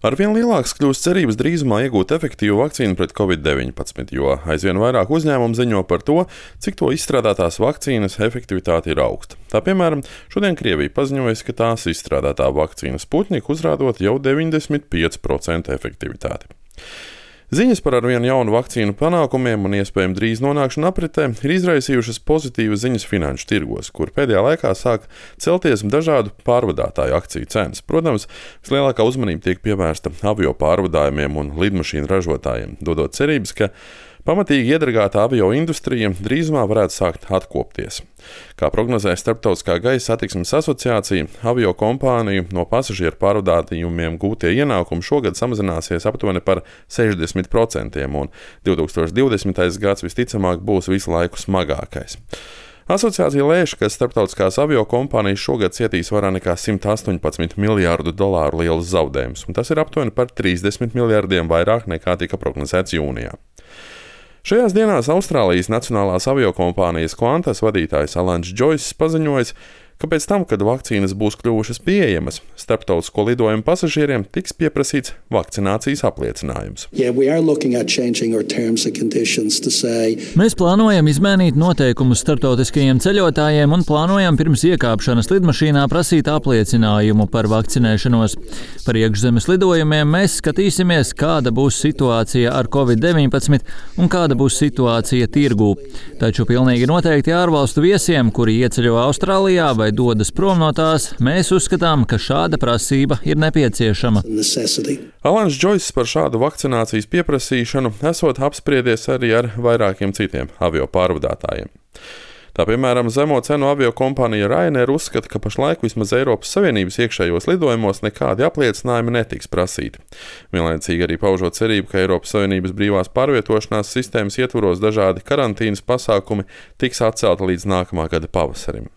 Arvien lielāks kļūst cerības drīzumā iegūt efektīvu vakcīnu pret Covid-19, jo aizvien vairāk uzņēmumu ziņo par to, cik to izstrādātās vakcīnas efektivitāte ir augsta. Tā piemēram, šodien Krievija paziņojusi, ka tās izstrādātā vakcīna Sputnik uzrādot jau 95% efektivitāti. Ziņas par arvien jaunu vakcīnu panākumiem un iespējami drīz nonākšanu apritē ir izraisījušas pozitīvas ziņas finanšu tirgos, kur pēdējā laikā sāk celties dažādu pārvadātāju akciju cenas. Protams, vislielākā uzmanība tiek pievērsta avio pārvadājumiem un lidmašīnu ražotājiem, dodot cerības, ka pamatīgi iedragāta avio industrija drīzumā varētu sākt atkopties. Kā prognozē Starptautiskā gaisa satiksmes asociācija, avio kompāniju no pasažieru pārvadājumiem gūtie ienākumi šogad samazināsies aptuveni par 60%, un 2020. gads visticamāk būs visu laiku smagākais. Asociācija lēš, ka starptautiskās avio kompānijas šogad cietīs vairāk nekā $118 miljārdu lielus zaudējumus, un tas ir aptuveni par 30 miljārdiem vairāk nekā tika prognozēts jūnijā. Šajās dienās Austrālijas nacionālās aviokompānijas Qantas vadītājs Alans Džoiss paziņojis, ka pēc tam, kad vakcīnas būs kļuvušas pieejamas, starptautisko lidojumu pasažieriem tiks pieprasīts vakcinācijas apliecinājums. Mēs plānojam izmainīt noteikumus starptautiskajiem ceļotājiem un plānojam pirms iekāpšanas lidmašīnā prasīt apliecinājumu par vakcinēšanos. Par iekšzemes lidojumiem mēs skatīsimies, kāda būs situācija ar Covid-19 un kāda būs situācija tirgū. Taču pilnīgi noteikti ārvalstu viesiem, kuri ieceļo Austrālijā vai dodas prom no tās, mēs uzskatām, ka šāda prasība ir nepieciešama. Alans Džoiss par šādu vakcinācijas pieprasīšanu esot apspriedies arī ar vairākiem citiem avio pārvadātājiem. Tā piemēram, zemo cenu avio kompānija Ryanair uzskata, ka pašlaik vismaz Eiropas Savienības iekšējos lidojumos nekādi apliecinājumi netiks prasīti. Vienlaicīgi arī paužot cerību, ka Eiropas Savienības brīvās pārvietošanās sistēmas ietvaros dažādi karantīnas pasākumi tiks atcelti līdz nākamā gada pavasarim.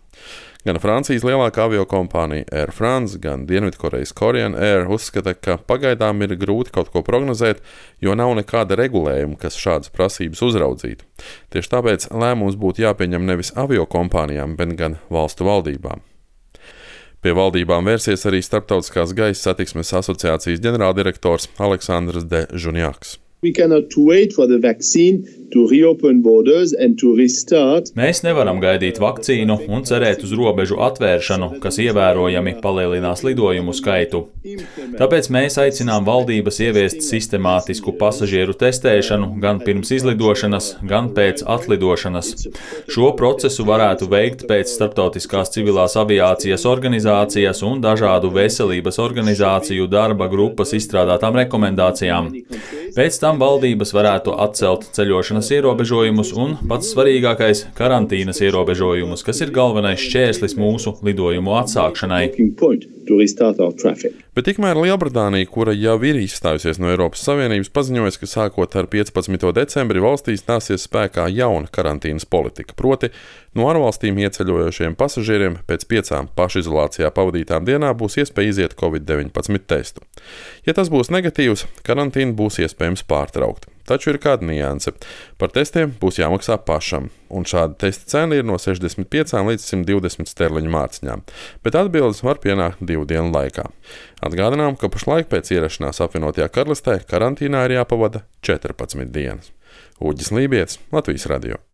Gan Francijas lielākā aviokompānija Air France, gan Dienvidkorejas Korean Air uzskata, ka pagaidām ir grūti kaut ko prognozēt, jo nav nekāda regulējuma, kas šādas prasības uzraudzītu. Tieši tāpēc lēmums būtu jāpieņem nevis aviokompānijām, bet gan valstu valdībām. Pie valdībām vērsies arī Starptautiskās gaisa satiksmes asociācijas ģenerāldirektors Aleksandrs De Žunjaks. Mēs nevaram gaidīt vakcīnu un cerēt uz robežu atvēršanu, kas ievērojami palielinās lidojumu skaitu. Tāpēc mēs aicinām valdības ieviest sistemātisku pasažieru testēšanu gan pirms izlidošanas, gan pēc atlidošanas. Šo procesu varētu veikt pēc Starptautiskās civilās aviācijas organizācijas un dažādu veselības organizāciju darba grupas izstrādātām rekomendācijām. Pēc tam valdības varētu atcelt ceļošanas ierobežojumus un, pats svarīgākais, karantīnas ierobežojumus, kas ir galvenais šķērslis mūsu lidojumu atsākšanai. Bet tikmēr Lielbritānija, kura jau ir izstājusies no Eiropas Savienības, paziņojas, ka sākot ar 15. decembri valstī stāsies spēkā jauna karantīnas politika, proti no ārvalstīm ieceļojošiem pasažieriem pēc 5 pašizolācijā pavadītām dienām būs iespēja iziet Covid-19 testu. Ja tas būs negatīvs, karantīna būs iespējams pārtraukt. Taču ir kāda nianse. Par testiem būs jāmaksā pašam, un šāda testa cena ir no 65 līdz 120 sterliņu mārciņām, bet atbildes var pienākt 2 dienu laikā. Atgādinām, ka pašlaik pēc ierašanās apvienotajā karalistē karantīnā ir jāpavada 14 dienas. Uģis Lībietis, Latvijas radio.